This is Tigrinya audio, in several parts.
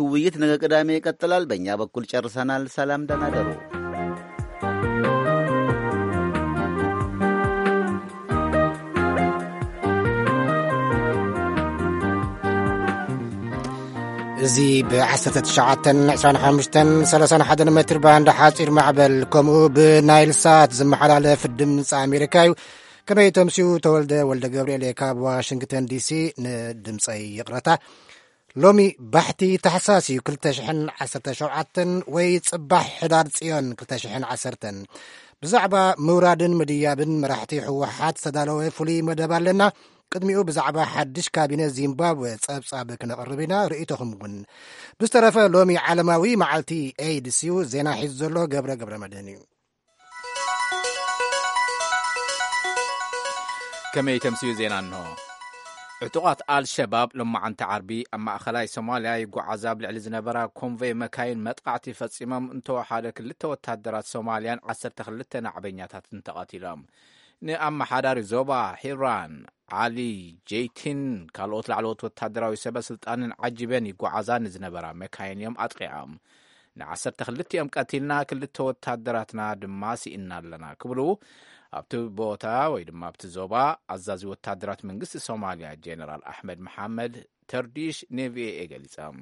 ውይይት ነገ ቅዳሜ ይቀጥላል። በእኛ በኩል ጨርሰናል። ሰላም፣ ደህና ደሩ። እዚ ብ19፣ 25፣ 31 ሜትር ባንድ ሓጺር ማዕበል፣ ከምኡ ብናይል ሳት ዝመሓላለፍ ድምፂ ኣሜሪካ እዩ። ከመይ ተምስዩ? ተወልደ ወልደ ገብርኤል እየ ካብ ዋሽንግተን ዲሲ ንድምፀይ ይቕረታ። ሎሚ ባሕቲ ታሕሳስ እዩ፣ ክልተ ሽሕን ዓሰርተ ሸውዓተን ወይ ጽባሕ ሕዳር ጽዮን ክልተ ሽሕን ዓሰርተን። ብዛዕባ ምውራድን ምድያብን መራሕቲ ህወሓት ዝተዳለወ ፍሉይ መደብ ኣለና። ቅድሚኡ ብዛዕባ ሓድሽ ካቢነ ዚምባብወ ጸብጻብ ክነቕርብ ኢና። ርእይቶኹም እውን። ብዝተረፈ ሎሚ ዓለማዊ መዓልቲ ኤድስ እዩ። ዜና ሒዙ ዘሎ ገብረ ገብረ መድህን እዩ። ከመይ ተምስዩ ዜና እንሆ። ዕጡቓት ኣልሸባብ ሎማዓንቲ ዓርቢ ኣብ ማእኸላይ ሶማልያ ይጓዓዛ ኣብ ልዕሊ ዝነበራ ኮንቮይ መካይን መጥቃዕቲ ፈጺሞም፣ እንተወሓደ ክልተ ወታደራት ሶማልያን ዓሰርተ ክልተ ናዕበኛታትን ተቐቲሎም። ንኣመሓዳሪ ዞባ ሒራን ዓሊ ጀይቲን ካልኦት ላዕለዎት ወታደራዊ ሰበ ስልጣንን ዓጂበን ይጓዓዛ ንዝነበራ መካይን እዮም ኣጥቂዖም። ንዓሰርተ ክልቲኦም ቀቲልና፣ ክልተ ወታደራትና ድማ ስኢና ኣለና ክብሉ ኣብቲ ቦታ ወይ ድማ ኣብቲ ዞባ ኣዛዚ ወታደራት መንግስቲ ሶማልያ ጀነራል ኣሕመድ መሓመድ ተርዲሽ ንቪኦኤ ገሊጾም።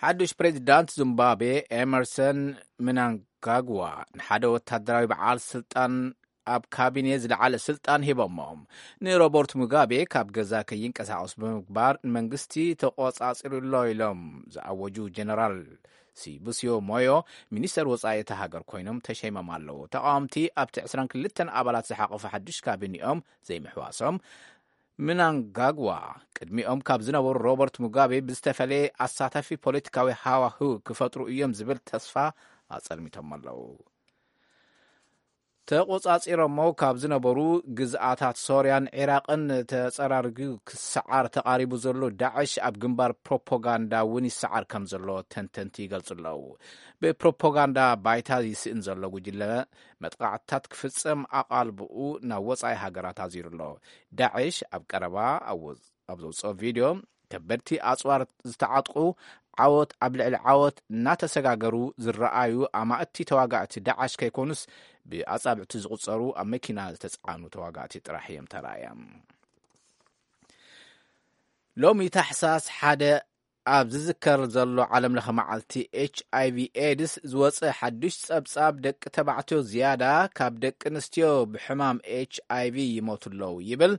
ሓዱሽ ፕሬዚዳንት ዚምባብዌ ኤመርሰን ምናንጋግዋ ንሓደ ወታደራዊ በዓል ስልጣን ኣብ ካቢኔ ዝለዓለ ስልጣን ሂቦሞም። ንሮበርት ሙጋቤ ካብ ገዛ ከይንቀሳቐሱ ብምግባር ንመንግስቲ ተቆጻጺሩ ኣሎ ኢሎም ዝኣወጁ ጀነራል ሲቡስዮ ሞዮ ሚኒስተር ወጻኢ እታ ሃገር ኮይኖም ተሸይሞም ኣለዉ። ተቃወምቲ ኣብቲ ዕስራን ክልተን ኣባላት ዝሓቆፈ ሓድሽ ካቢኔኦም ዘይምሕዋሶም፣ ምናንጋግዋ ቅድሚኦም ካብ ዝነበሩ ሮበርት ሙጋቤ ብዝተፈለየ ኣሳታፊ ፖለቲካዊ ሃዋህው ክፈጥሩ እዮም ዝብል ተስፋ ኣጸልሚቶም ኣለዉ። ተቆጻጺሮሞ ካብ ዝነበሩ ግዝኣታት ሶርያን ዒራቕን ተጸራሪጉ ክሰዓር ተቓሪቡ ዘሎ ዳዕሽ ኣብ ግንባር ፕሮፓጋንዳ እውን ይሰዓር ከም ዘሎ ተንተንቲ ይገልጹ ኣለዉ። ብፕሮፓጋንዳ ባይታ ይስእን ዘሎ ጉጅለ መጥቃዕትታት ክፍጸም ኣቓልብኡ ናብ ወጻኢ ሃገራት ኣዚሩ ኣሎ። ዳዕሽ ኣብ ቀረባ ኣብ ወ-፣ ኣብ ዘውጽኦ ቪድዮ፣ ከበድቲ ኣጽዋር ዝተዓጥቁ ዓወት ኣብ ልዕሊ ዓወት እናተሰጋገሩ ዝረኣዩ ኣማእቲ ተዋጋእቲ ዳዕሽ ከይኮኑስ፣ ብኣጻብዕቲ ዝቑጸሩ ኣብ መኪና ዝተጻዕኑ ተዋጋእቲ ጥራሕ እዮም ተራእዮም። ሎሚ ታሕሳስ ሓደ ኣብ ዝዝከር ዘሎ ዓለምለኸ መዓልቲ ኤች ኣይ ቪ ኤድስ ዝወጸ ሓዱሽ ጸብጻብ፣ ደቂ ተባዕትዮ ዝያዳ ካብ ደቂ ኣንስትዮ ብሕማም ኤች ኣይ ቪ ይሞቱ ኣለዉ ይብል።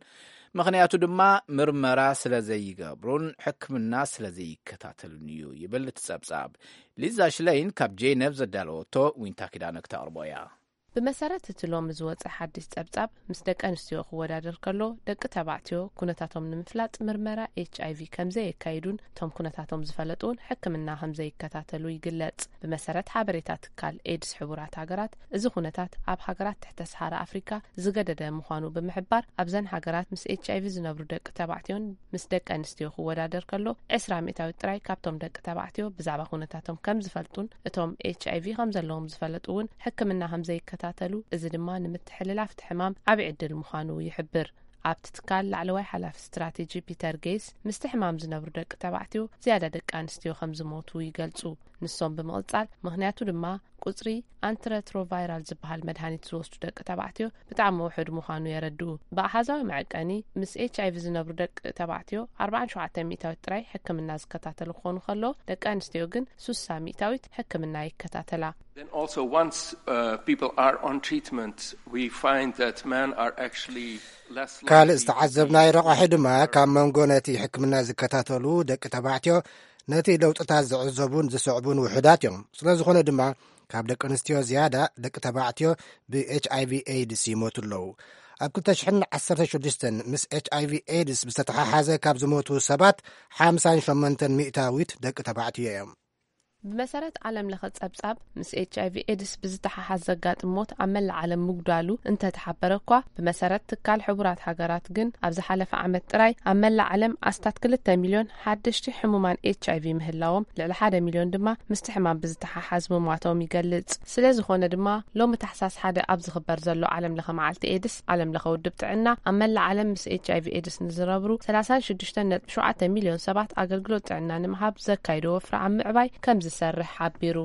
ምኽንያቱ ድማ ምርመራ ስለ ዘይገብሩን ሕክምና ስለ ዘይከታተሉን እዩ ይብል እቲ ጸብጻብ። ሊዛ ሽለይን ካብ ጄነቭ ዘዳለወቶ ዊንታ ኪዳነ ክተቕርቦ እያ። ብመሰረት እቲ ሎሚ ዝወጸ ሓድሽ ጸብጻብ፣ ምስ ደቂ ኣንስትዮ ክወዳደር ከሎ፣ ደቂ ተባዕትዮ ኩነታቶም ንምፍላጥ ምርመራ ኤች ኣይ ቪ ከም ዘየካይዱን እቶም ኩነታቶም ዝፈለጡ እውን ሕክምና ከም ዘይከታተሉ ይግለጽ። ብመሰረት ሓበሬታ ትካል ኤድስ ሕቡራት ሃገራት፣ እዚ ኩነታት ኣብ ሃገራት ትሕተ ሰሃራ ኣፍሪካ ዝገደደ ምዃኑ ብምሕባር፣ ኣብዘን ሃገራት ምስ ኤች ኣይ ቪ ዝነብሩ ደቂ ተባዕትዮን ምስ ደቂ ኣንስትዮ ክወዳደር ከሎ፣ ዕስራ ሚእታዊት ጥራይ ካብቶም ደቂ ተባዕትዮ ብዛዕባ ኩነታቶም ከም ዝፈልጡን እቶም ኤች ኣይ ቪ ከም ዘለዎም ዝፈለጡ እውን ሕክምና ከም ዘይከታተሉ፣ እዚ ድማ ንምትሕልላፍ እቲ ሕማም ዓቢ ዕድል ምዃኑ ይሕብር። ኣብቲ ትካል ላዕለዋይ ሓላፊ ስትራቴጂ ፒተር ጌይስ፣ ምስቲ ሕማም ዝነብሩ ደቂ ተባዕትዮ ዝያዳ ደቂ ኣንስትዮ ከም ዝሞቱ ይገልጹ። ንሶም ብምቕጻል፣ ምኽንያቱ ድማ ቁጽሪ ኣንትረትሮቫይራል ዝበሃል መድሃኒት ዝወስዱ ደቂ ተባዕትዮ ብጣዕሚ ውሑድ ምዃኑ የረድኡ። ብኣሃዛዊ መዐቀኒ፣ ምስ ኤች ኣይ ቪ ዝነብሩ ደቂ ተባዕትዮ ኣርባዓን ሸውዓተን ሚእታዊት ጥራይ ሕክምና ዝከታተሉ ክኾኑ ከለዉ፣ ደቂ ኣንስትዮ ግን ሱሳ ሚእታዊት ሕክምና ይከታተላ። Then also, once, uh, people are on treatment, we find that men are actually less ካልእ likely to ዝተዓዘብናዮ be ረቋሒ ድማ፣ ካብ መንጎ ነቲ ሕክምና ዝከታተሉ ደቂ ተባዕትዮ፣ ነቲ ለውጥታት ዝዕዘቡን ዝስዕቡን ውሑዳት እዮም። ስለ ዝኾነ ድማ፣ ካብ ደቂ ኣንስትዮ ዝያዳ ደቂ ተባዕትዮ ብ ኤች ኣይ ቪ ኤድስ ይሞቱ ኣለዉ። ኣብ ክልተ ሽሕን ዓሰርተ ሽዱሽተን ምስ ኤች ኣይ ቪ ኤድስ ብዝተተሓሓዘ ካብ ዝሞቱ ሰባት ሓምሳን ሸሞንተን ሚእታዊት ደቂ ተባዕትዮ እዮም። ብመሰረት ዓለም ለኸ ጸብጻብ፣ ምስ ኤች ኣይ ቪ ኤድስ ብዝተሓሓዝ ዘጋጥም ሞት ኣብ መላእ ዓለም ምጉዳሉ እንተተሓበረ እኳ፣ ብመሰረት ትካል ሕቡራት ሃገራት ግን ኣብ ዝሓለፈ ዓመት ጥራይ ኣብ መላእ ዓለም ኣስታት ክልተ ሚልዮን ሓደሽቲ ሕሙማን ኤች ኣይ ቪ ምህላዎም፣ ልዕሊ ሓደ ሚልዮን ድማ ምስቲ ሕማም ብዝተሓሓዝ ምሟቶም ይገልጽ። ስለ ዝኾነ ድማ፣ ሎሚ ታሕሳስ ሓደ ኣብ ዝኽበር ዘሎ ዓለም ለኸ መዓልቲ ኤድስ፣ ዓለም ለኸ ውድብ ጥዕና ኣብ መላእ ዓለም ምስ ኤች ኣይ ቪ ኤድስ ንዝነብሩ ሰላሳን ሽዱሽተን ነጥቢ ሸውዓተ ሚልዮን ሰባት ኣገልግሎት ጥዕና ንምሃብ ዘካይዶ ወፍሪ ኣብ ምዕባይ ከም ዝሰርሕ ሓቢሩ።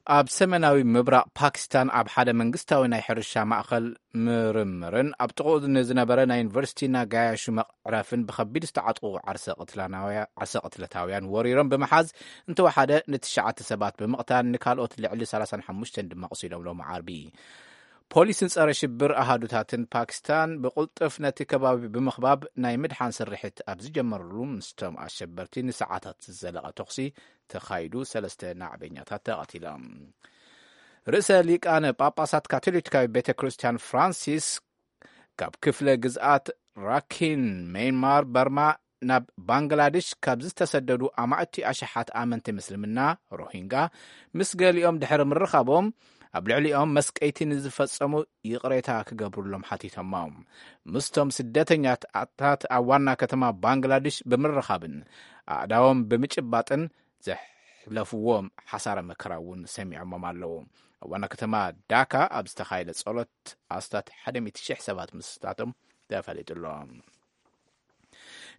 ኣብ ሰሜናዊ ምብራቕ ፓኪስታን ኣብ ሓደ መንግስታዊ ናይ ሕርሻ ማእኸል ምርምርን ኣብ ጥቕኡ ንዝነበረ ናይ ዩኒቨርሲቲ ናጋያሹ መዕረፍን ብኸቢድ ዝተዓጥቑ ዓርሰ ቅትላናውያ-፣ ዓርሰ ቅትለታውያን ወሪሮም ብምሓዝ፣ እንተወሓደ ንትሽዓተ ሰባት ብምቕታል፣ ንካልኦት ልዕሊ ሰላሳን ሓሙሽተን ድማ ኣቑሲሎም ሎሚ ዓርቢ። ፖሊስን ጸረ ሽብር ኣሃዱታትን ፓኪስታን ብቕልጡፍ ነቲ ከባቢ ብምኽባብ ናይ ምድሓን ስርሒት ኣብ ዝጀመርሉ፣ ምስቶም ኣሸበርቲ ንሰዓታት ዝዘለቐ ተኹሲ ተኻይዱ፣ ሰለስተ ናዕበኛታት ተቐቲሎም። ርእሰ ሊቃነ ጳጳሳት ካቶሊካዊ ቤተ ክርስቲያን ፍራንሲስ ካብ ክፍለ ግዝኣት ራኪን፣ ሜይንማር፣ በርማ ናብ ባንግላዴሽ ካብ ዝተሰደዱ ኣማእቲ ኣሽሓት ኣመንቲ ምስልምና ሮሂንጋ ምስ ገሊኦም ድሕሪ ምርኻቦም፣ ኣብ ልዕሊኦም መስቀይቲ ንዝፈጸሙ ይቕሬታ ክገብሩሎም ሓቲቶሞም። ምስቶም ስደተኛታት ኣብ ዋና ከተማ ባንግላዴሽ ብምርኻብን ኣእዳዎም ብምጭባጥን ዘሕለፍዎም ሓሳረ መከራ እውን ሰሚዖሞም ኣለዉ። ኣብ ዋና ከተማ ዳካ ኣብ ዝተኻየደ ጸሎት ኣስታት ሓደ ሚእቲ ሺሕ ሰባት ምስታቶም ተፈሊጡ ኣሎ።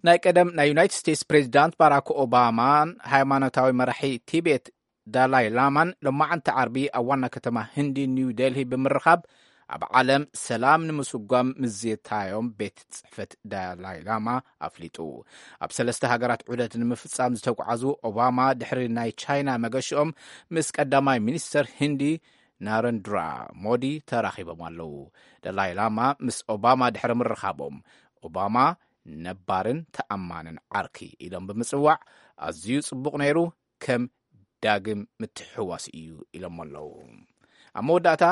ናይ ቀደም ናይ ዩናይትድ ስቴትስ ፕሬዚዳንት ባራክ ኦባማን ሃይማኖታዊ መራሒ ቲቤት ዳላይ ላማን ሎማዓንቲ ዓርቢ ኣብ ዋና ከተማ ህንዲ ኒው ዴልሂ ብምርኻብ፣ ኣብ ዓለም ሰላም ንምስጓም ምዝታዮም ቤት ጽሕፈት ዳላይ ላማ ኣፍሊጡ። ኣብ ሰለስተ ሃገራት ዑደት ንምፍጻም ዝተጓዓዙ ኦባማ፣ ድሕሪ ናይ ቻይና መገሽኦም ምስ ቀዳማይ ሚኒስተር ህንዲ ናረንድራ ሞዲ ተራኺቦም ኣለዉ። ዳላይ ላማ ምስ ኦባማ ድሕሪ ምርኻቦም፣ ኦባማ ነባርን ተኣማንን ዓርኪ ኢሎም ብምጽዋዕ፣ ኣዝዩ ጽቡቕ ነይሩ፣ ከም ዳግም ምትሕውዋስ እዩ ኢሎም ኣለዉ። ኣብ መወዳእታ፣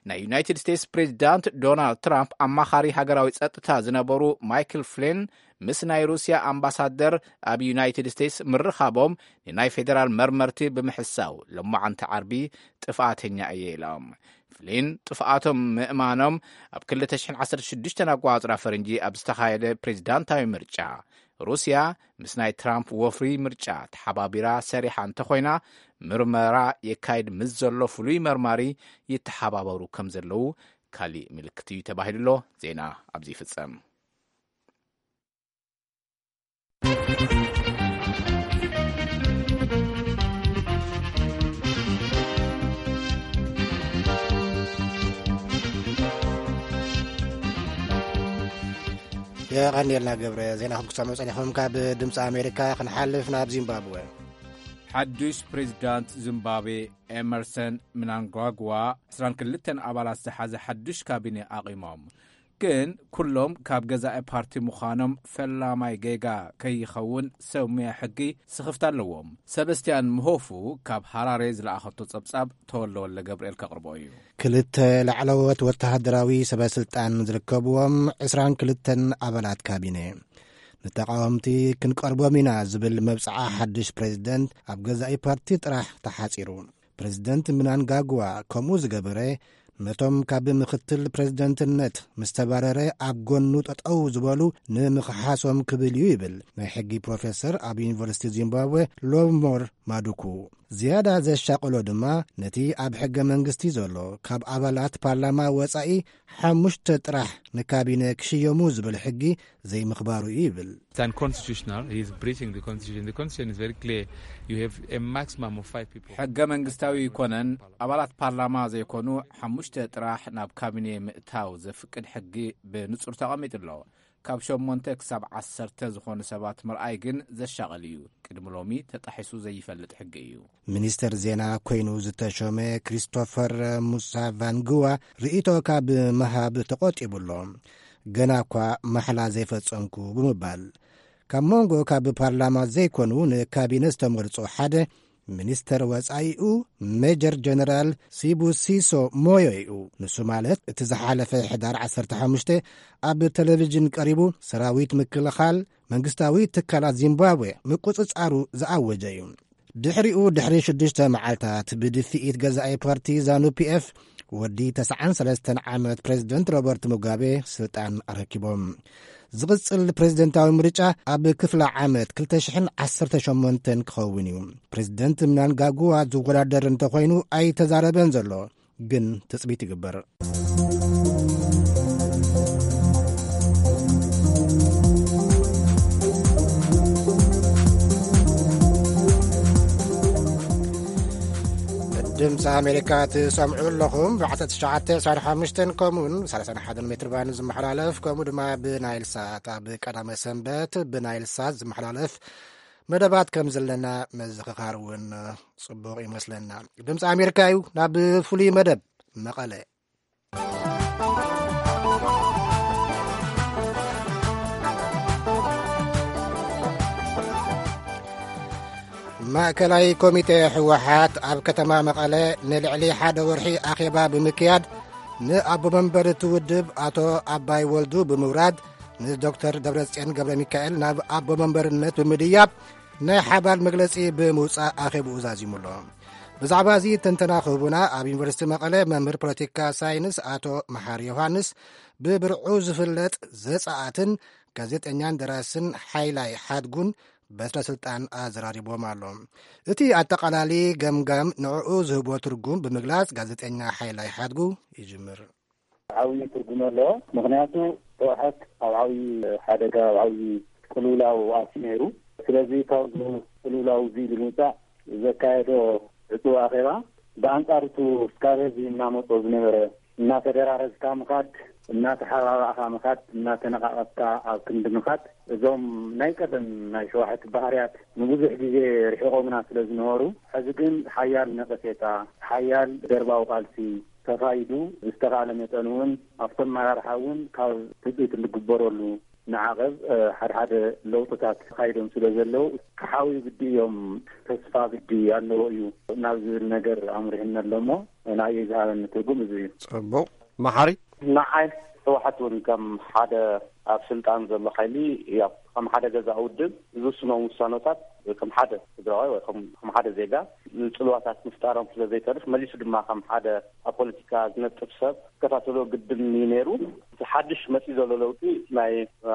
ናይ ዩናይትድ ስቴትስ ፕሬዚዳንት ዶናልድ ትራምፕ ኣማኻሪ ሃገራዊ ጸጥታ ዝነበሩ ማይክል ፍሊን ምስ ናይ ሩስያ ኣምባሳደር ኣብ ዩናይትድ ስቴትስ ምርኻቦም፣ ንናይ ፌደራል መርመርቲ ብምሕሳው፣ ሎማዓንቲ ዓርቢ ጥፍኣተኛ እየ ኢሎም። ፍሊን ጥፍኣቶም ምእማኖም፣ ኣብ ክልተ ሽሕን ዓሰርተ ሽዱሽተን ኣቆጻጽራ ፈረንጂ ኣብ ዝተኻየደ ፕሬዚዳንታዊ ምርጫ፣ ሩስያ ምስ ናይ ትራምፕ ወፍሪ ምርጫ ተሓባቢራ ሰሪሓ እንተኾይና፣ ምርመራ የካይድ ምስ ዘሎ ፍሉይ መርማሪ ይተሓባበሩ ከም ዘለዉ ካሊእ ምልክት እዩ ተባሂሉ ኣሎ። ዜና ኣብዚ ይፍጸም። የቐንየልና ገብረ። ዜናኹም ክሰምዑ ጸኒሖም። ካብ ድምፂ ኣሜሪካ ክንሓልፍ ናብ ዚምባብወ። ሓዱሽ ፕሬዚዳንት ዚምባብዌ ኤመርሰን ምናንጓግዋ ዕስራን ክልተን ኣባላት ዝሓዘ ሓዱሽ ካቢኔ ኣቒሞም። ግን ኩሎም ካብ ገዛኢ ፓርቲ ምዃኖም ፈላማይ ጌጋ ከይኸውን ሰብ ሙያ ሕጊ ስኽፍታ ኣለዎም። ሰበስቲያን ምሆፉ ካብ ሃራሬ ዝለኣኸቶ ጸብጻብ ተወልደ ወልደ ገብርኤል ከቕርቦ እዩ። ክልተ ላዕለዎት ወተሃደራዊ ሰበ ስልጣን ዝርከብዎም ዕስራን ክልተን ኣባላት ካቢነ፣ ንተቃወምቲ ክንቀርቦም ኢና ዝብል መብጽዓ ሓድሽ ፕሬዝደንት ኣብ ገዛኢ ፓርቲ ጥራሕ ተሓጺሩ። ፕሬዝደንት ምናንጋግዋ ከምኡ ዝገበረ፣ ነቶም ካብ ምኽትል ፕሬዝደንትነት ምስ ተባረረ ኣብ ጎኑ ጠጠው ዝበሉ ንምኽሓሶም ክብል እዩ ይብል ናይ ሕጊ ፕሮፌሰር ኣብ ዩኒቨርሲቲ ዚምባብዌ ሎቭሞር ማዱኩ። ዝያዳ ዘሻቕሎ ድማ ነቲ ኣብ ሕገ መንግስቲ ዘሎ ካብ ኣባላት ፓርላማ ወጻኢ ሓሙሽተ ጥራሕ ንካቢነ ክሽየሙ ዝብል ሕጊ ዘይምኽባሩ እዩ ይብል። It's unconstitutional. He is breaching the constitution. The constitution is very clear. You have a maximum of five people. ሕገ መንግስታዊ ይኮነን፣ ኣባላት ፓርላማ ዘይኮኑ ሓሙሽተ ጥራሕ ናብ ካቢኔ ምእታው ዘፍቅድ ሕጊ ብንጹር ተቐሚጡ ኣሎ። ካብ ሸሞንተ ክሳብ ዓሰርተ ዝኾኑ ሰባት ምርኣይ ግን ዘሻቕል እዩ። ቅድሚ ሎሚ ተጣሒሱ ዘይፈልጥ ሕጊ እዩ። ሚኒስተር ዜና ኮይኑ ዝተሾመ ክሪስቶፈር ሙሳቫንግዋ ርእይቶ ካብ ምሃብ ተቖጢቡ ኣሎ። ገና እኳ ማሕላ ዘይፈጸምኩ ብምባል፣ ካብ መንጎ ካብ ፓርላማ ዘይኮኑ ንካቢነ ዝተመርጹ ሓደ ሚኒስተር ወጻኢኡ ሜጀር ጀነራል ሲቡሲሶ ሞዮ እዩ። ንሱ ማለት እቲ ዝሓለፈ ሕዳር ዓሰርተ ሓሙሽተ ኣብ ቴሌቪዥን ቀሪቡ ሰራዊት ምክልኻል መንግስታዊ ትካላት ዚምባብዌ ምቁጽጻሩ ዝኣወጀ እዩ። ድሕሪኡ፣ ድሕሪ ሽዱሽተ መዓልታት፣ ብድፍኢት ገዛኢ ፓርቲ ዛኑ ፒኤፍ፣ ወዲ ተስዓን ሰለስተን ዓመት ፕሬዚደንት ሮበርት ሙጋቤ ስልጣን ኣረኪቦም። ዝቕጽል ፕሬዚደንታዊ ምርጫ ኣብ ክፍለ ዓመት ክልተ ሽሕን ዓሰርተ ሸሞንተን ክኸውን እዩ። ፕሬዚደንት ምናንጋጉዋ ዝወዳደር እንተኾይኑ ኣይተዛረበን ዘሎ፣ ግን ትጽቢት ይግበር። ድምፂ ኣሜሪካ ትሰምዑ ኣለኹም። ብ ዓሰርተ ትሽዓተ ዕስራን ሓሙሽተን ከምኡውን ሰላሳን ሓደን ሜትር ባንድ ዝመሓላለፍ፣ ከምኡ ድማ ብናይል ሳት፣ ኣብ ቀዳመ ሰንበት ብናይል ሳት ዝመሓላለፍ መደባት ከም ዘለና መዘኻኻር እውን ጽቡቕ ይመስለና። ድምፂ ኣሜሪካ እዩ። ናብ ፍሉይ መደብ መቐለ። ማእከላይ ኮሚቴ ህወሓት ኣብ ከተማ መቐለ ንልዕሊ ሓደ ወርሒ ኣኼባ ብምክያድ፣ ንኣቦ መንበር እቲ ውድብ ኣቶ ኣባይ ወልዱ ብምውራድ፣ ንዶክተር ደብረጽዮን ገብረ ሚካኤል ናብ ኣቦ መንበርነት ብምድያብ፣ ናይ ሓባር መግለጺ ብምውጻእ ኣኼብኡ ዛዚሙ ኣሎ። ብዛዕባ እዚ ትንተና ክህቡና፣ ኣብ ዩኒቨርሲቲ መቐለ መምህር ፖለቲካ ሳይንስ ኣቶ መሓሪ ዮሃንስ፣ ብብርዑ ዝፍለጥ ዘጻኣትን ጋዜጠኛን ደራስን ሓይላይ ሓድጉን በትረ ስልጣን ኣዘራሪቦም ኣሎ። እቲ ኣጠቓላሊ ገምጋም ንዕኡ ዝህቦ ትርጉም ብምግላጽ፣ ጋዜጠኛ ሓይላይ ሓድጉ ይጅምር። ዓብዪ ትርጉም ኣለዎ። ምኽንያቱ፣ ህወሓት ኣብ ዓብዪ ሓደጋ፣ ኣብ ዓብዪ ቅልውላው ኣትዩ ነይሩ። ስለዚ፣ ካብዚ ቅልውላው እዚ ንምውፃእ ዘካየዶ ዕፁብ ኣኼባ፣ ብኣንፃር እቲ ካብ ህዝቢ እናመፆ ዝነበረ፣ እናተደራረዝካ ምኻድ፣ እናተሓባባእካ ምኻድ፣ እናተነቓቐፍካ ኣብ ክንዲ ምኻድ፣ እዞም ናይ ቀደም ናይ ሸዋሕቲ ባህርያት ንብዙሕ ግዜ ርሒቖምና ስለ ዝነበሩ፣ ሕዚ ግን ሓያል ነቐፌታ፣ ሓያል ደርባዊ ቃልሲ ተኻይዱ፣ ብዝተኻእለ መጠን እውን ኣብቲ ኣመራርሓ እውን ካብ ትፅቢት እንግበረሉ ንዓቐብ፣ እ፣ ሓደ ሓደ ለውጥታት ተኻይዶም ስለ ዘለዉ፣ ክሓውዩ ግዲ እዮም፣ ተስፋ ግዲ ኣለዎ እዩ ናብ ዝብል ነገር ኣምሪሕና ኣሎ እሞ፣ ንዓይ ዝሃበኒ ትርጉም እዚ እዩ። ጽቡቕ። መሓሪ? ንዓይ ህወሓት እውን ከም ሓደ ኣብ ስልጣን ዘሎ ሓይሊ፣ ያው ከም ሓደ ገዛኢ ውድብ ዝውስኖም ውሳነታት ከም ሓደ ትግራዋይ ወይ ከም፣ ከም ሓደ ዜጋ ጽልዋታት ምፍጣሮም ስለ ዘይተርፍ፣ መሊሱ ድማ ከም ሓደ ኣብ ፖለቲካ ዝነጥፍ ሰብ ክከታተሎ ግድን እዩ ነይሩ። እቲ ሓድሽ መጺኡ ዘሎ ለውጢ ናይ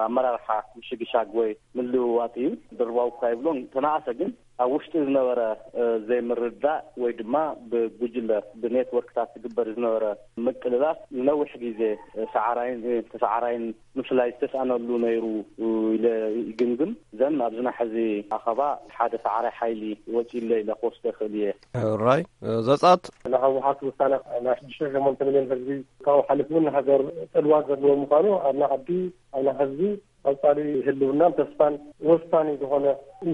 ኣመራርሓ ምሽግሻግ ወይ ምልውዋጥ እዩ። ድርባው እኳ ይብሎን ተነኣሰ፣ ግን ኣብ ውሽጢ ዝነበረ፣ እ፣ ዘይምርዳእ ወይ ድማ ብጉጅለ፣ ብኔትወርክታት ዝግበር ዝነበረ ምቅልላፍ ንነዊሕ ግዜ፣ እ፣ ሰዓራይን፣ እ፣ ተሰዓራይን ምፍላይ ዝተስኣነሉ ነይሩ፣ እ፣ ኢለ ይግምግም። ዘን ኣብዚ ናሕዚ ኣኸባ ሓደ ሰዓራይ ሓይሊ ወፂኡ ኣሎ ኢለ ክወስዶ ይኽእል እየ። ሕራይ፣ እ፣ ዘጻት። ናይ ህወሓት ውሳነ ናይ ሽዱሽተ ሸሞንተ ሚልዮን ህዝቢ ካብኡ ሓሊፉ እውን ንሃገር ጥልዋት ዘለዎ ምዃኑ ኣብ ናይ ዓዲ፣ ኣብ ናይ ህዝቢ ቀጻሊ ህልውናን ተስፋን ወሳኒ ዝኾነ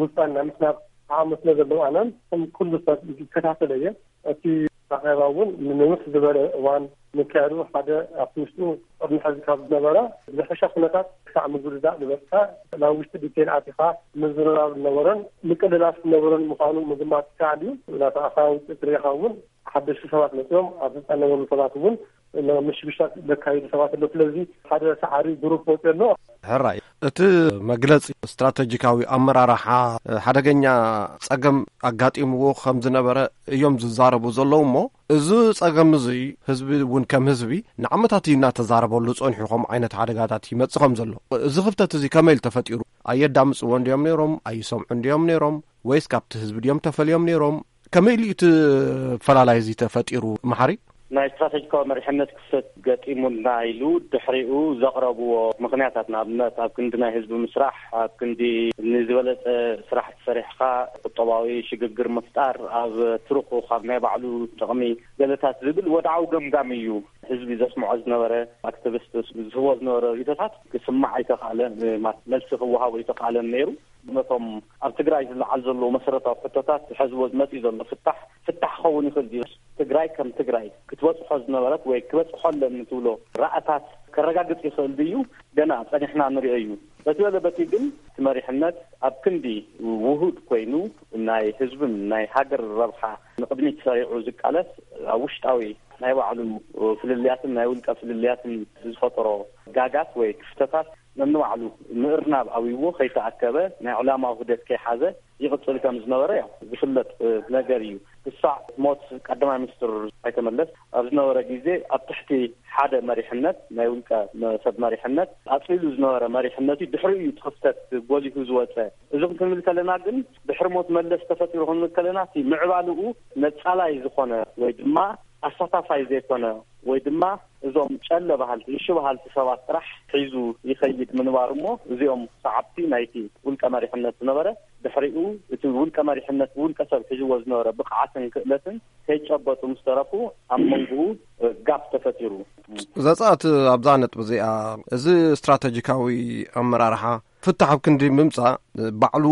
ውሳነ ናይ ምስናብ ዓቕሚ ስለ ዘለዎ፣ ኣነ ከም ኩሉ ሰብ ይከታተሎ እየ። እቲ ኣኼባ እውን ንንውሕ ዝበለ እዋን ምክያዱ፣ ሓደ ኣብቲ ውሽጡ ቅድሚ ሕዚ ካብ ዝነበረ ዝሕሸ ኩነታት ክሳዕ ምዝርዛእ ዝበጽሐ፣ ናብ ውሽጢ ዲቴል ኣቲኻ ምዝርራብ ዝነበሮን ምቅልላስ ዝነበሮን ምዃኑ ምግማት ይከኣል እዩ። ናብቲ ኣኼባ ውፅኢት ርኢኻ እውን ሓደሽቲ ሰባት መፅዮም ኣብ ስልጣን ዝነበሩ ሰባት እውን ምሽግሻት ዘካይዱ ሰባት ኣለዉ። ስለዚ ሓደ ሰዓሪ ግሩፕ ወፂኡ ኣሎ። ሕራይ፣ እቲ መግለጺ ስትራተጂካዊ ኣመራርሓ ሓደገኛ ጸገም ኣጋጢምዎ ከም ዝነበረ እዮም ዝዛረቡ ዘለዉ እሞ፣ እዚ ጸገም እዚ ህዝቢ እውን ከም ህዝቢ ንዓመታት እዩ እናተዛረበሉ ጸኒሑ ከምኡ ዓይነት ሓደጋታት ይመጽእ ከም ዘሎ። እዚ ክፍተት እዚ ከመይ ኢሉ ተፈጢሩ? ኣየዳምጽዎ እንድዮም ነይሮም? ኣይሰምዑ እንድዮም ነይሮም? ወይስ ካብቲ ህዝቢ ድዮም ተፈልዮም ነይሮም? ከመይ ኢሉ እቲ ፈላላይ እዚ ተፈጢሩ? መሓሪ? ናይ ስትራተጂካዊ መሪሕነት ክፍተት ገጢሙና ኢሉ ድሕሪኡ ዘቕረብዎ ምኽንያታት፣ ንኣብነት ኣብ ክንዲ ናይ ህዝቢ ምስራሕ፣ ኣብ ክንዲ ንዝበለጸ ስራሕቲ ሰሪሕኻ ቁጠባዊ ሽግግር ምፍጣር፣ ኣብ ትርኹ ካብ ናይ ባዕሉ ጥቕሚ ገለታት ዝብል ወድዓዊ ገምጋም እዩ ህዝቢ ዘስምዖ ዝነበረ። ኣክቲቪስት ዝህቦ ዝነበረ ርእይቶታት ክስማዕ ኣይተኻእለን፣ ማለት መልሲ ክወሃቦ ኣይተኻእለን ነይሩ። ነቶም ኣብ ትግራይ ዝለዓል ዘለዉ መሰረታዊ ሕቶታት ዝሐዝዎ ዝመፅእ ዘሎ ፍታሕ፣ ፍታሕ ክኸውን ይኽእል ድዩ? ትግራይ ከም ትግራይ ክትበፅሖ ዝነበረት ወይ ክበፅሖ ኣለኒ ትብሎ ራእታት ከረጋግፅ ይኽእል ድዩ? ገና ፀኒሕና ንሪኦ እዩ። በቲ በለ በቲ ግን እቲ መሪሕነት ኣብ ክንዲ ውሁድ ኮይኑ ናይ ህዝብን ናይ ሃገር ረብሓ ንቕድሚት ሰሪዑ ዝቃለስ፣ ኣብ ውሽጣዊ ናይ ባዕሉ ፍልልያትን ናይ ውልቀ ፍልልያትን ዝፈጠሮ ጋጋት ወይ ክፍተታት ነንባዕሉ ምእርናብ ኣብይዎ ከይተኣከበ፣ ናይ ዕላማ ውህደት ከይሓዘ ይቕጽል ከም ዝነበረ ያው ዝፍለጥ፣ እ፣ ነገር እዩ። ክሳዕ ሞት ቀዳማይ ሚኒስትር ኣይተ መለስ ኣብ ዝነበረ ግዜ ኣብ ትሕቲ ሓደ መሪሕነት፣ ናይ ውልቀ መ-፣ ሰብ መሪሕነት ኣጽሊሉ ዝነበረ መሪሕነት እዩ። ድሕሪኡ እዩ እቲ ክፍተት ጎሊሁ ዝወጸ። እዚ ክንብል ከለና ግን ድሕሪ ሞት መለስ ተፈጢሩ ክንብል ከለና እቲ ምዕባልኡ ነጻላይ ዝኾነ ወይ ድማ ኣሳታፋይ ዘይኮነ ወይ ድማ እዞም ጨለ በሃልቲ፣ እሺ በሃልቲ ሰባት ጥራሕ ሒዙ ይኸይድ ምንባሩ እሞ፣ እዚኦም ሰዓብቲ ናይቲ ውልቀ መሪሕነት ዝነበረ፣ ድሕሪኡ እቲ ውልቀ መሪሕነት ብውልቀ ሰብ ሒዝዎ ዝነበረ ብቕዓትን ክእለትን ከይጨበጡ ምስ ተረፉ፣ ኣብ መንጎኡ ጋፕ ተፈጢሩ። ዘጻት ኣብዛ ነጥቢ እዚኣ፣ እዚ ስትራተጂካዊ ኣመራርሓ ፍታሕ ኣብ ክንዲ ምምጻእ፣ ባዕሉ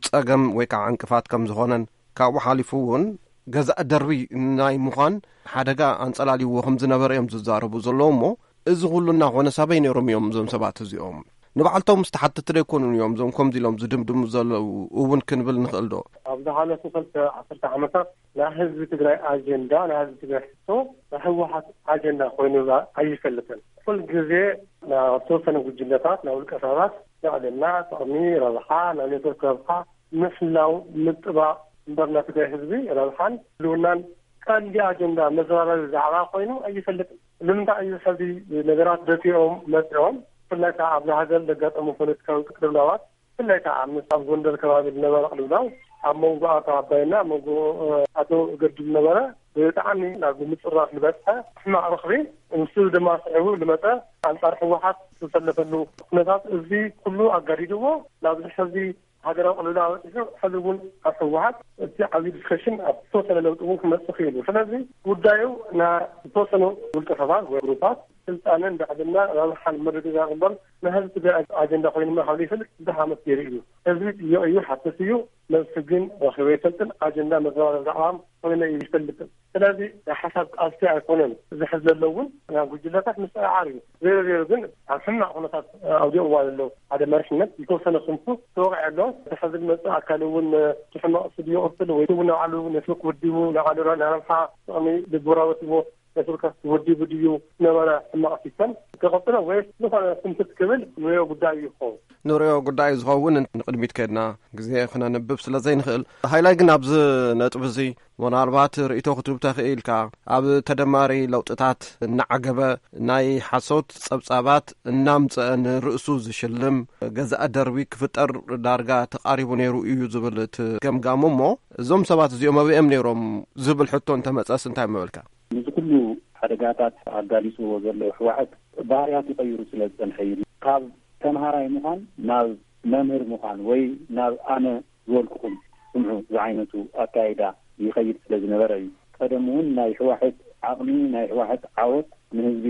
ጸገም ወይ ከዓ ዕንቅፋት ከም ዝኾነን፣ ካብኡ ሓሊፉ እውን ገዛእ ደርቢ ናይ ምዃን ሓደጋ ኣንጸላልይዎ ከም ዝነበረ እዮም ዝዛረቡ ዘለዉ። እሞ እዚ ኩሉ እናኾነ ሳበይ ነይሮም እዮም እዞም ሰባት እዚኦም? ንባዕልቶም ዝተሓተቱ ዶ ኣይኮኑን እዮም እዞም ከምዚ ኢሎም ዝድምድሙ ዘለዉ እውን ክንብል ንኽእል ዶ? ኣብ ዝሓለፉ ክልተ ዓሰርተ ዓመታት ናይ ህዝቢ ትግራይ ኣጀንዳ፣ ናይ ህዝቢ ትግራይ ሕቶ ናይ ህወሓት ኣጀንዳ ኮይኑ ኣይፈልጥን። ኩል ግዜ ናብ ዝተወሰነ ጉጅለታት፣ ናብ ውልቀ ሰባት ልዕልና፣ ጥቕሚ፣ ረብሓ፣ ናይ ኔትወርክ ረብሓ፣ ምሕላው፣ ምጥባቕ እምበር ናይ ትግራይ ህዝቢ ረብሓን ህልውናን ቀንዲ ኣጀንዳ መዘራረቢ ዛዕባ ኮይኑ ኣይፈልጥን። ንምንታይ እዩ ሕዚ ነገራት ደፊኦም መፂኦም? ብፍላይ ከዓ ኣብዛ ሃገር ዘጋጠሙ ፖለቲካዊ ቅልውላዋት፣ ብፍላይ ከዓ ምስ ኣብ ጎንደር ከባቢ ዝነበረ ቅልውላው፣ ኣብ መንጎ ኣቶ ኣባይና ኣብ መንጎ፣ እ፣ ኣቶ ገዱ ዝነበረ ብጣዕሚ ናብ ምፅራፍ ዝበፅሐ ሕማቕ ረኽቢ፣ ንሱ ድማ ስዒቡ ዝመፀ ኣንፃር ህወሓት ዝተሰለፈሉ ኩነታት፣ እዚ ኩሉ ኣጋዲድዎ ናብዚ ሕዚ ሃገራዊ ቅልውላው በፂሑ፣ ሕዚ እውን ኣብ ህወሓት እቲ ዓብዪ ዲስከሽን ኣብ ዝተወሰነ ለውጢ እውን ክመፅእ ክኢሉ። ስለዚ ጉዳዩ ናይ ዝተወሰኑ ውልቀ ሰባት ወይ ግሩፓት ስልጣንን ልዕልና ረብሓን ምርግጋፅ እምበር ናይ ህዝቢ ትግራይ ኣጀንዳ ኮይኑ ምርካብ ዘይፈልጥ ብዙሕ ዓመት ገይሩ እዩ። ህዝቢ ጥይቕ እዩ፣ ሓትት እዩ፣ መልሲ ግን ረኺቡ ኣይፈልጥን። ኣጀንዳ መዘራረቢ ዛዕባ ኮይነ እዩ ይፈልጥን። ስለዚ ናይ ሓሳብ ቃልሲ ኣይኮነን። እዚ ሕዚ ዘሎ እውን ናይ ጉጅለታት ምስዕዓር እዩ። ዜሮ ዜሮ ግን ኣብ ሕማቕ ኩነታት ኣውዲቕዋ ዘሎ ሓደ መሪሕነት ዝተወሰነ ክንፉ ተወቒዐ ኣሎ። እቲ ሕዚ ዝመፅእ ኣካል እውን እቲ ሕማቕ ስድዮ ቅርፅል ወይ እውን ንባዕሉ ኔትወርክ ወዲቡ ንባዕሉ ናይ ረብሓ ጥቕሚ ልቡራወትዎ ኔትወርክ ወዲቡ ድዩ ነበረ ሕማቕ ሲስተም ክቐፅሎ ወይስ ዝኾነ ስንፍት ክብል ንሪኦ ጉዳይ እዩ ክኸውን። ንሪኦ ጉዳይ ዝኸውን ንቕድሚት ከድና ግዜ ክነንብብ ስለ ዘይንኽእል፣ ሃይላይ ግን ኣብዚ ነጥቢ እዚ ምናልባት ርእይቶ ክትህብ ተኽእል ኢልካ፣ ኣብ ተደማሪ ለውጥታት እናዓገበ ናይ ሓሶት ጸብጻባት እናምጸአ ንርእሱ ዝሽልም ገዛእ ደርቢ ክፍጠር ዳርጋ ተቓሪቡ ነይሩ እዩ ዝብል እቲ ገምጋሙ። እሞ እዞም ሰባት እዚኦም ኣበይኦም ነይሮም ዝብል ሕቶ እንተመጸስ እንታይ ምበልካ? ንዚ ኩሉ ሓደጋታት ኣጋሊጽዎ ዘሎ ህወሓት ባህርያት ይቐይሩ ስለ ዝጸንሐ እዩ። ካብ ተምሃራይ ምዃን ናብ መምህር ምዃን ወይ ናብ ኣነ ዝበልኩኹም ስምዑ ዝዓይነቱ ኣካይዳ ይኸይድ ስለ ዝነበረ እዩ። ቀደም እውን ናይ ህወሓት ዓቕሚ፣ ናይ ህወሓት ዓወት ንህዝቢ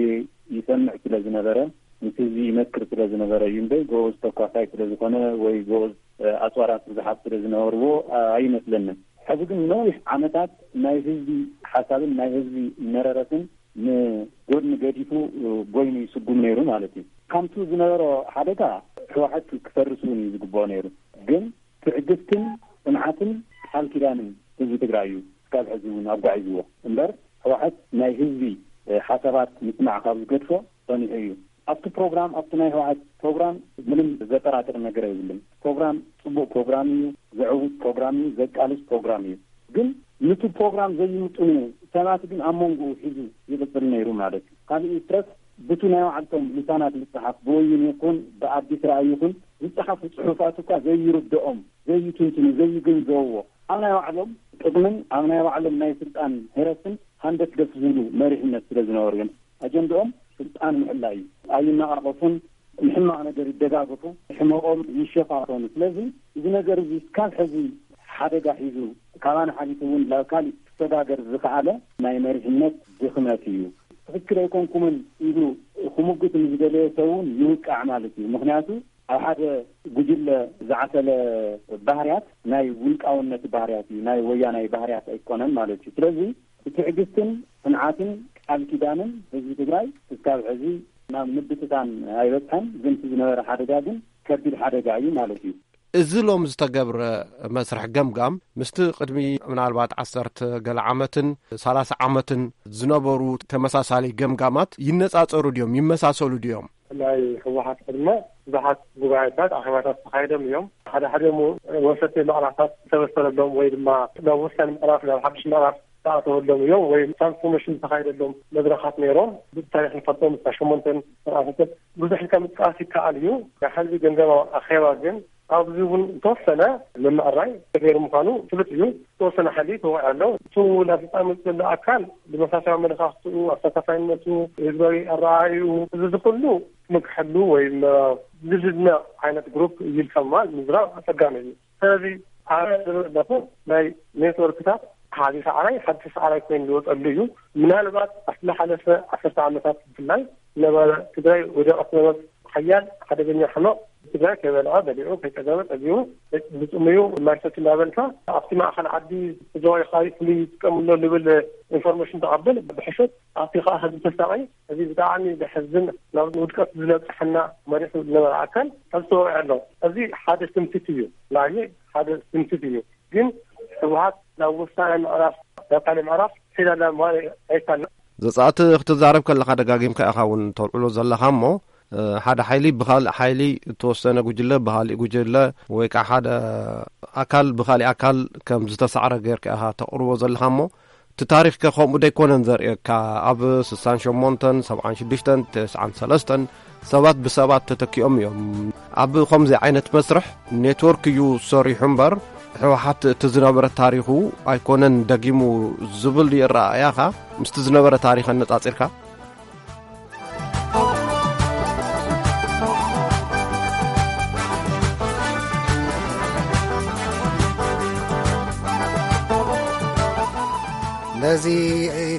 ይሰምዕ ስለ ዝነበረ፣ ምስ ህዝቢ ይመክር ስለ ዝነበረ እዩ እምበር፣ ጎበዝ ተኳሳይ ስለ ዝኾነ ወይ ጎበዝ፣ እ፣ ኣፅዋራት ብዙሓት ስለ ዝነበርዎ፣ እ፣ ኣይመስለንን። ሕዚ ግን ነዊሕ ዓመታት ናይ ህዝቢ ሓሳብን ናይ ህዝቢ መረረትን ንጎድኒ ገዲፉ፣ እ፣ ጎይኑ ይስጉም ነይሩ ማለት እዩ። ከምቱ ዝነበሮ ሓደጋ ህወሓት ክፈርስ እውን እዩ ዝግብኦ ነይሩ። ግን ትዕግስትን ጽንዓትን ቃል ኪዳንን ህዝቢ ትግራይ እዩ እስካብ ሕዚ እውን ኣጓዒዝዎ እምበር፣ ህወሓት ናይ ህዝቢ፣ እ፣ ሓሳባት ምስማዕ ካብ ዝገድፎ ጸኒሑ እዩ። ኣብቲ ፕሮግራም፣ ኣብቲ ናይ ህወሓት ፕሮግራም ምንም ዘጠራጥር ነገር የብልን። ፕሮግራም ጽቡቕ ፕሮግራም እዩ፣ ዘዕውት ፕሮግራም እዩ፣ ዘቃልስ ፕሮግራም እዩ። ግን ንቲ ፕሮግራም ዘይምጥኑ ሰባት ግን ኣብ መንጎኡ ሒዙ ይቕጽል ነይሩ ማለት እዩ። ካልእ ይትረፍ፣ ብቱ ናይ ባዕልቶም ልሳናት ዝጸሓፍ፣ ብወይን ይኹን ብኣዲስ ራእይ ይኹን ዝጸሓፉ ጽሑፋት እኳ ዘይርድኦም፣ ዘይትንትኑ፣ ዘይግንዘብዎ፣ ኣብ ናይ ባዕሎም ጥቕምን ኣብ ናይ ባዕሎም ናይ ስልጣን ህረትን ሃንደፍደፍ ዝብሉ መሪሕነት ስለ ዝነበሩ እዮም። ኣጀንድኦም ስልጣን ምሕላይ እዩ። ኣይነቓቐፉን፣ ንሕማቕ ነገር ይደጋገፉ፣ ሕመቖም ይሸፋፈኑ። ስለዚ እዚ ነገር እዚ እስካብ ሕዚ ሓደጋ ሒዙ፣ ካባና ሓሊፉ እውን ናብ ካሊእ ክሰጋገር ዝኸኣለ ናይ መሪሕነት ድኽመት እዩ። ትኽክል ኣይኮንኩምን ኢሉ ክሙግት ንዝደለየ ሰብ እውን ይውቃዕ ማለት እዩ። ምኽንያቱ ኣብ ሓደ ጉጅለ ዝዓሰለ ባህርያት ናይ ውልቃውነት ባህርያት እዩ፣ ናይ ወያናይ ባህርያት ኣይኮነን ማለት እዩ። ስለዚ ብትዕግስትን ጽንዓትን ቃል ኪዳንን ህዝቢ ትግራይ ክሳብ ሕዚ ናብ ምብትታን ኣይበጽሐን። ግን እቲ ዝነበረ ሓደጋ ግን ከቢድ ሓደጋ እዩ ማለት እዩ። እዚ ሎም ዝተገብረ መስርሕ ገምጋም ምስቲ ቅድሚ ምናልባት ዓሰርተ ገለ ዓመትን ሰላሳ ዓመትን ዝነበሩ ተመሳሳሊ ገምጋማት ይነጻጸሩ ድዮም? ይመሳሰሉ ድዮም? ናይ ህወሓት ዕድመ ብዙሓት ጉባኤታት ኣኼባታት ተኻይዶም እዮም። ሓደ ሓደ ሞ- ወሰንቲ ምዕራፋት ዝተበሰረሎም ወይ ድማ ናብ ወሳኒ ምዕራፍ ናብ ሓድሽ ምዕራፍ ዝተኣተወሎም እዮም ወይ ትራንስፎርሜሽን ዝተኻይደሎም መድረኻት ነይሮም። ብታሪክ ንፈልጦም እታ ሸሞንተን ስርዓታት ብዙሕ ኢልካ ምጥቃስ ይከኣል እዩ። ናይ ሓዚ ገምጋማዊ ኣኼባ ግን ኣብዚ እውን ዝተወሰነ ምምዕራይ ተገይሩ ምዃኑ ፍሉጥ እዩ። ዝተወሰነ ሓይሊ ተወዒ ኣሎ። እቲ ናብ ስልጣን መፅእ ዘሎ ኣካል ዲሞክራሲያዊ ኣመለኻኽትኡ፣ ኣሳታፋይነቱ፣ ህዝባዊ ኣረኣእዩ፣ እዚ እዚ ኩሉ ምክሕሉ ወይ ም- ዝድነቕ ዓይነት ግሩፕ እዩ ኢልካ ምባል ምዝራብ ኣፀጋሚ እዩ። ስለዚ ኣነ ዝብል ኣለኹ ናይ ኔትወርክታት ሓደ ሰዓራይ ሓንቲ ሰዓራይ ኮይኑ ዝወፀሉ እዩ። ምናልባት ኣብቲ ዝሓለፈ ዓሰርተ ዓመታት ብፍላይ ነበረ ትግራይ ወደቐት ነበረ ሓያል ሓደገኛ ሕመቕ ትግራይ ከይበልዐ በሊዑ ከይፀገበ ፀጊቡ ብፅሙዩ ማይ ሰቲ እናበልካ ኣብቲ ማእኸል ዓዲ ተዘዋይ ኻሪ ፍሉይ ይጥቀምሎ ንብል ኢንፎርሜሽን ተቐብል ብሕሸት ኣብቲ ከዓ ህዝቢ ተሳቒ እዚ ብጣዕሚ ዘሕዝን ናብ ውድቀት ዝለብፅሐና መሪሑ ዝነበረ ኣካል ሕዚ ተወቂዐ ኣሎ። እዚ ሓደ ትምክሕቲ እዩ። ናይ ሓደ ትምክሕቲ እዩ። ግን ህወሓት ናብ ወሳኒ ምዕራፍ ናብ ካልእ ምዕራፍ ሒዳ ኣላ ምባል ኣይካልን። ዘጻእቲ ክትዛረብ ከለኻ ደጋጊምካ ኢኻ እውን ተልዕሎ ዘለኻ እሞ ሓደ ሓይሊ ብኻልእ ሓይሊ እተወሰነ ጉጅለ ብኻሊእ ጉጅለ ወይ ከዓ ሓደ ኣካል ብኻሊእ ኣካል ከም ዝተሳዕረ ጌርካ ኢኻ ተቕርቦ ዘለኻ እሞ እቲ ታሪኽከ ከምኡ ደይኮነን ዘርእየካ? ኣብ ስሳን ሸሞንተን ሰብዓን ሽዱሽተን ተስዓን ሰለስተን ሰባት ብሰባት ተተኪኦም እዮም። ኣብ ከምዚ ዓይነት መስርሕ ኔትወርክ እዩ ሰሪሑ እምበር ህወሓት እቲ ዝነበረ ታሪኹ ኣይኮነን ደጊሙ ዝብል ድዩ ኣረኣእያኻ ምስቲ ዝነበረ ታሪኽ ኣነጻጺርካ? ነዚ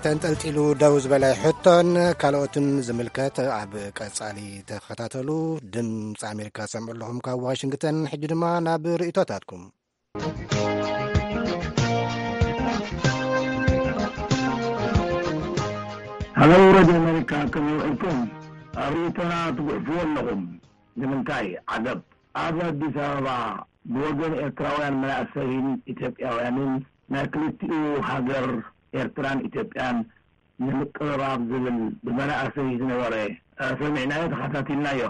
ተንጠልጢሉ ደው ዝበለ ሕቶን ካልኦትን ዝምልከት ኣብ ቀጻሊ ተኸታተሉ። ድምፂ ኣሜሪካ ሰምዑ ኣለኹም ካብ ዋሽንግተን። ሕጂ ድማ ናብ ርእቶታትኩም። ሃሎ ሬድዮ ኣሜሪካ፣ ከመይ ውዒልኩም? ኣብ ርእይቶና ትጉሕፍዎ ኣለኹም። ንምንታይ? ዓገብ። ኣብ ኣዲስ ኣበባ ብወገን ኤርትራውያን መናእሰይን ኢትዮጵያውያንን ናይ ክልቲኡ ሃገር ኤርትራን ኢትዮጵያን ንምቅርራብ ዝብል ብመናእሰይ ዝነበረ ሰሚዕናዮ፣ ተኸታቲልናዮ።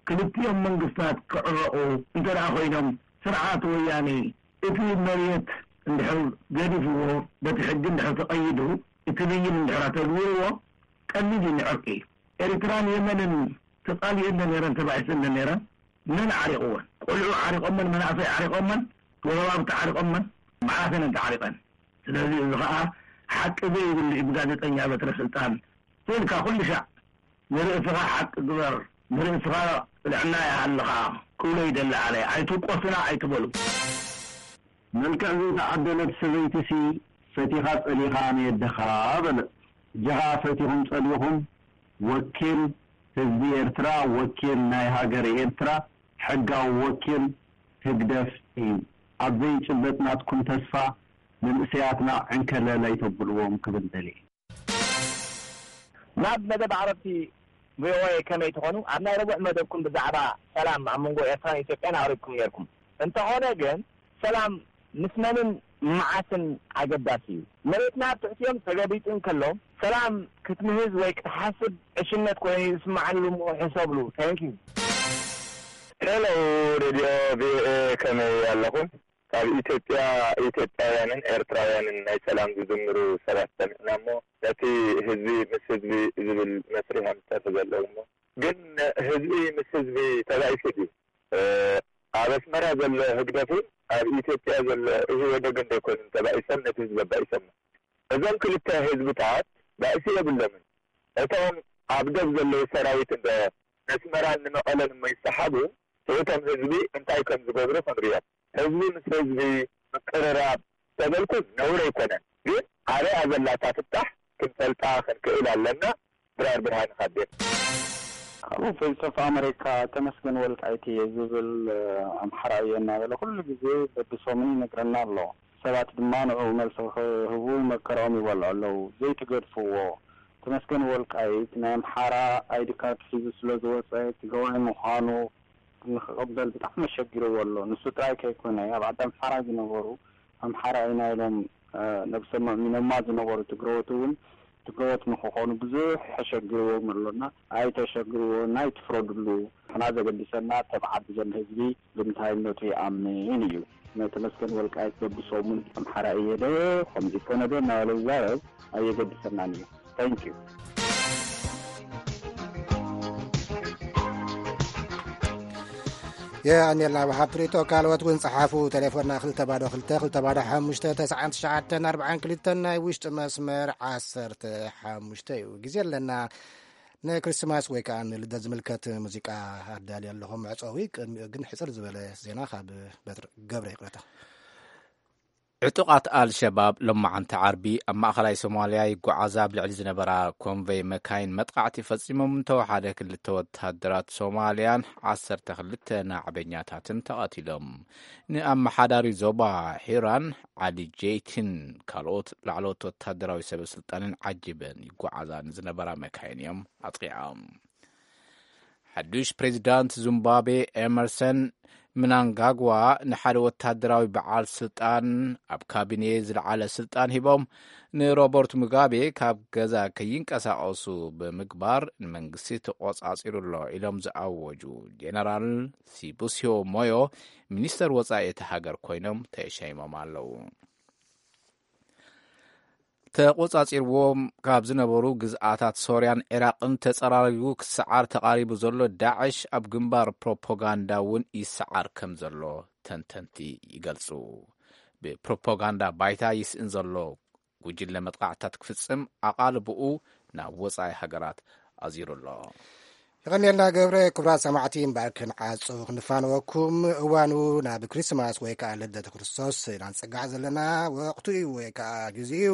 ክልቲኦም መንግስታት ክዕረቑ እንተ ደኣ ኮይኖም ስርዓት ወያኔ እቲ መሬት እንድሕር ገዲፍዎ በቲ ሕጊ እንድሕር ተቐይዱ እቲ ብይን እንድሕር ኣተግቢርዎ ቀሊል እዩ ንዕርቂ። ኤርትራን የመንን ተጻሊኤን ዶ ነይረን ተባኢሰን ዶ ነይረን? መን ዓሪቕወን? ቆልዑ ዓሪቖመን፣ መናእሰይ ዓሪቖመን፣ ጎረባብቲ ዓሪቖመን፣ መዓስ እየን ተዓሪቐን? ስለዚ እዚ ኸኣ ሓቂ ዘይብሉ እዩ ብጋዜጠኛ በትረ ስልጣን ስኢልካ ኩሉ ሻዕ ንርእስኻ ሓቂ ግበር ንርእስኻ ጥዕና ይሃልኻ ክብሎ ይደሊ ኣነ ኣይትውቀሱና ኣይትበሉ። መልክዕ ዘይተዓደለት ሰበይቲሲ ፈቲኻ ጸሊኻ ንየደኻ በለ። እጀኻ ፈቲኹም ጸሊኹም ወኪል ህዝቢ ኤርትራ ወኪል ናይ ሃገረ ኤርትራ ሕጋዊ ወኪል ህግደፍ እዩ። ኣብ ዘይጭበጥ ናትኩም ተስፋ መንእሰያትና ዕንከለል ኣይተብልዎም ክብል ደልየ። ናብ መደብ ዓረብቲ ቪኦኤ ከመይ ትኾኑ? ኣብ ናይ ረቡዕ መደብኩም ብዛዕባ ሰላም ኣብ መንጎ ኤርትራን ኢትዮጵያን ኣቕሪብኩም ነይርኩም። እንተኾነ ግን ሰላም ምስ መንን መዓስን ኣገዳሲ እዩ። መሬትና ኣብ ትሕቲኦም ተገቢጡ እንከሎ ሰላም ክትምህዝ ወይ ክትሓስብ ዕሽነት ኮይኑ እዩ ዝስምዓኒ ኢሉ እሞ ሕሰብሉ። Thank you። Hello Radio VOA ከመይ ኣለኹም? ካብ ኢትዮጵያ ኢትዮጵያውያንን ኤርትራውያንን ናይ ሰላም ዝዝምሩ ሰባት ሰሚዕና እሞ ነቲ ህዝቢ ምስ ህዝቢ ዝብል መስርሕ እዮም ዝሰርሑ ዘለዉ እሞ ግን ህዝቢ ምስ ህዝቢ ተባኢሱ ድዩ? ኣብ ኣስመራ ዘሎ ህግደፍን ኣብ ኢትዮጵያ ዘሎ ኢህወደግን ዶ ኣይኮኑን ተባኢሶም ነቲ ህዝቢ ኣባኢሶሞ? እዞም ክልተ ህዝብታት ባእሲ የብሎምን። እቶም ኣብ ዶብ ዘለዉ ሰራዊት እንዶ ነስመራን ንመቐለን እሞ ይሰሓቡ፣ ስእቶም ህዝቢ እንታይ ከም ዝገብሩ ክንሪኦም። ህዝቢ ምስ ህዝቢ ምቅርራብ ተበልኩስ ነውሪ ኣይኮነን፣ ግን ኣበይ ኣዘላ እታ ፍታሕ ክንፈልጣ ክንክእል ኣለና። ድራር ብርሃነ ካብ ቤት። ካብኡ ቮይስ ኦፍ ኣመሪካ ተመስገን ወልቃይት እየ ዝብል ኣምሓራይ እየ እናበለ ኩሉ ግዜ በብሰሙን ይነግረና ኣሎ። ሰባት ድማ ንዕኡ መልሲ ክህቡ መከርኦም ይበልዑ ኣለዉ። ዘይትገድፍዎ። ተመስገን ወልቃይት ናይ ኣምሓራ ኣይዲ ካርድ ሒዙ ስለ ዝወጸ ትግራዋይ ምዃኑ ንኽቕበል ብጣዕሚ ኣሸጊርዎ ኣሎ። ንሱ ጥራይ ከይኮነ ኣብ ዓዲ ኣምሓራ ዝነበሩ ኣምሓራ ኢና ኢሎም ነብሶም ኣእሚኖማ ዝነበሩ ትግረዎት እውን ገወት ንክኾኑ ብዙሕ ተሸግርዎም ኣሎና። ኣይተሸግርዎ፣ ናይ ትፍረድሉ። ንሕና ዘገድሰና ተባዓት ዘሎ ህዝቢ ብምንታይነቱ ይኣምን እዩ። ናይ ተመስገን ወልቃይት በብሰሙን ኣምሓራ እየ ዶ ከምዚ ኮነ ዶ እናበለ ዝዛረብ ኣየገድሰናን እዩ። Thank you። የቐንየልና ብሓብ ትርኢቶ። ካልኦት እውን ጸሓፉ። ቴሌፎንና ክልተ ባዶ ክልተ ክልተ ባዶ ሓሙሽተ ተስዓን ትሽዓተን ኣርባዓን ክልተን፣ ናይ ውሽጢ መስመር ዓሰርተ ሓሙሽተ እዩ። ግዜ ኣለና። ንክሪስማስ ወይ ከዓ ንልደት ዝምልከት ሙዚቃ ኣዳልየ ኣለኹ መዕጸዊ። ቅድሚኡ ግን ሕጽር ዝበለ ዜና ካብ በትር ገብረ ይቕረታ። ዕጡቓት ኣልሸባብ ሎማዓንቲ ዓርቢ ኣብ ማእኸላይ ሶማልያ ይጓዓዛ ኣብ ልዕሊ ዝነበራ ኮንቨይ መካይን መጥቃዕቲ ፈጺሞም እንተወሓደ ክልተ ወታደራት ሶማልያን ዓሰርተ ክልተ ናዕበኛታትን ተቐቲሎም። ንኣመሓዳሪ ዞባ ሒራን ዓሊ ጄይትን ካልኦት ላዕለዎት ወታደራዊ ሰበ ስልጣንን ዓጂበን ይጓዓዛ ንዝነበራ መካይን እዮም ኣጥቂዖም። ሓዱሽ ፕሬዚዳንት ዚምባብዌ ኤመርሰን ምናንጋግዋ ንሓደ ወታደራዊ በዓል ስልጣን ኣብ ካቢኔ ዝለዓለ ስልጣን ሂቦም ንሮበርት ሙጋቤ ካብ ገዛ ከይንቀሳቐሱ ብምግባር ንመንግስቲ ተቆጻጺሩ ኣሎ ኢሎም ዝኣወጁ ጀነራል ሲቡሲዮ ሞዮ ሚኒስተር ወጻኢ እቲ ሃገር ኮይኖም ተሸይሞም ኣለዉ። ተቆጻጺርዎም ካብ ዝነበሩ ግዝኣታት ሶርያን ዒራቕን ተጸራሪጉ ክሰዓር ተቓሪቡ ዘሎ ዳዕሽ ኣብ ግንባር ፕሮፓጋንዳ እውን ይሰዓር ከም ዘሎ ተንተንቲ ይገልጹ። ብፕሮፓጋንዳ ባይታ ይስእን ዘሎ ጉጅለ መጥቃዕታት ክፍጽም ኣቓልብኡ ናብ ወጻኢ ሃገራት ኣዚሩ ኣሎ። ይቐንየልና ገብረ። ክቡራት ሰማዕቲ፣ እምበኣር ክንዓጹ ክንፋነወኩም። እዋኑ ናብ ክሪስማስ ወይ ከዓ ልደት ክርስቶስ ኢና ንጸጋዕ ዘለና ወቕቱ እዩ ወይ ከዓ ግዜ እዩ።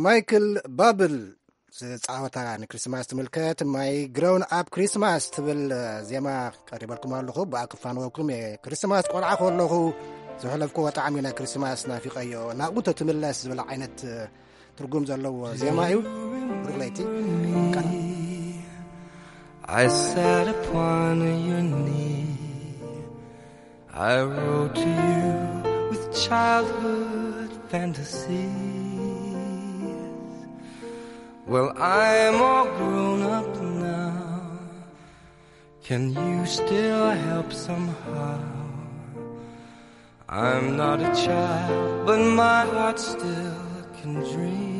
ማይክል ባብል ዝጻወታ ንክሪስማስ ትምልከት ማይ ግሮን ኣብ ክሪስማስ ትብል ዜማ ቀሪበልኩም ኣለኹ። ብኣ ክፋነወኩም እየ። ክሪስማስ ቆልዓ ከለኹ ዘሕለፍክዎ ጣዕሚ ናይ ክሪስማስ ናፊቐዮ፣ ናብኡ ተትምለስ ዝብል ዓይነት ትርጉም ዘለዎ ዜማ እዩ። ብሩኽ ለይቲ። ቀና። I sat upon your knee. I wrote to you with childhood fantasies. Well, I'm all grown up now. Can you still help somehow? I'm not a child, but my heart still can dream.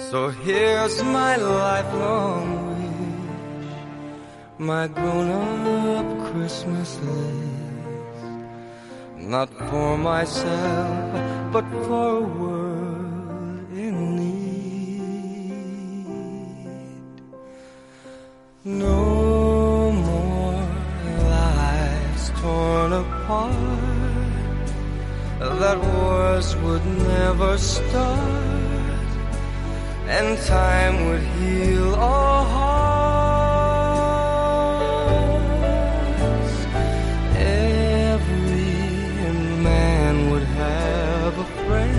So here's my lifelong wish, my grown-up Christmas list. Not for myself, but for a world in need. No more lives torn apart, that wars would never start, and time would heal all hearts. Every man would have a friend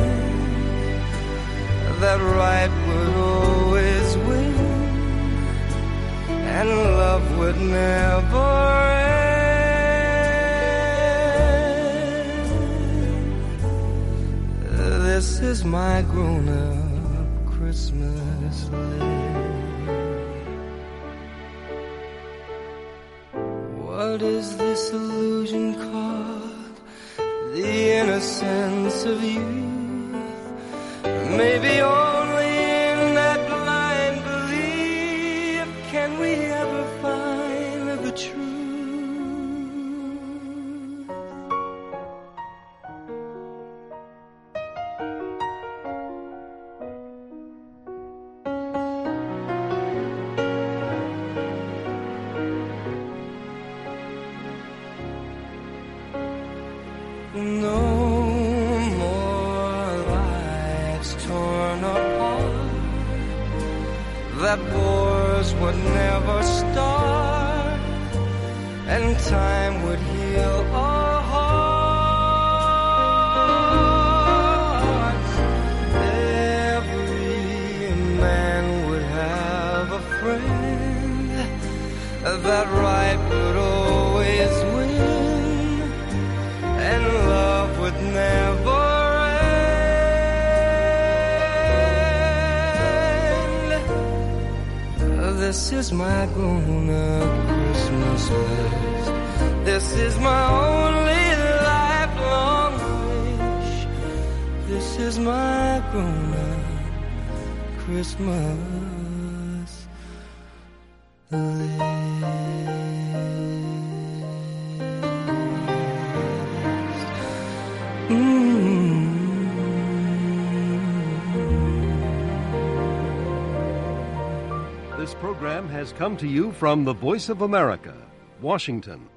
that right would always win, and love would never end. This is my grown-up Christmas list. What is this illusion called? The innocence of youth. Maybe only in that blind belief can we ever find the truth. No more lives torn apart, that wars would never start, and time would heal all hearts. Every man would have a friend, that right would always win, and love would never This is my grown up Christmas list. This is my only lifelong wish. This is my grown up Christmas list. Mm. This program has come to you from the Voice of America, Washington.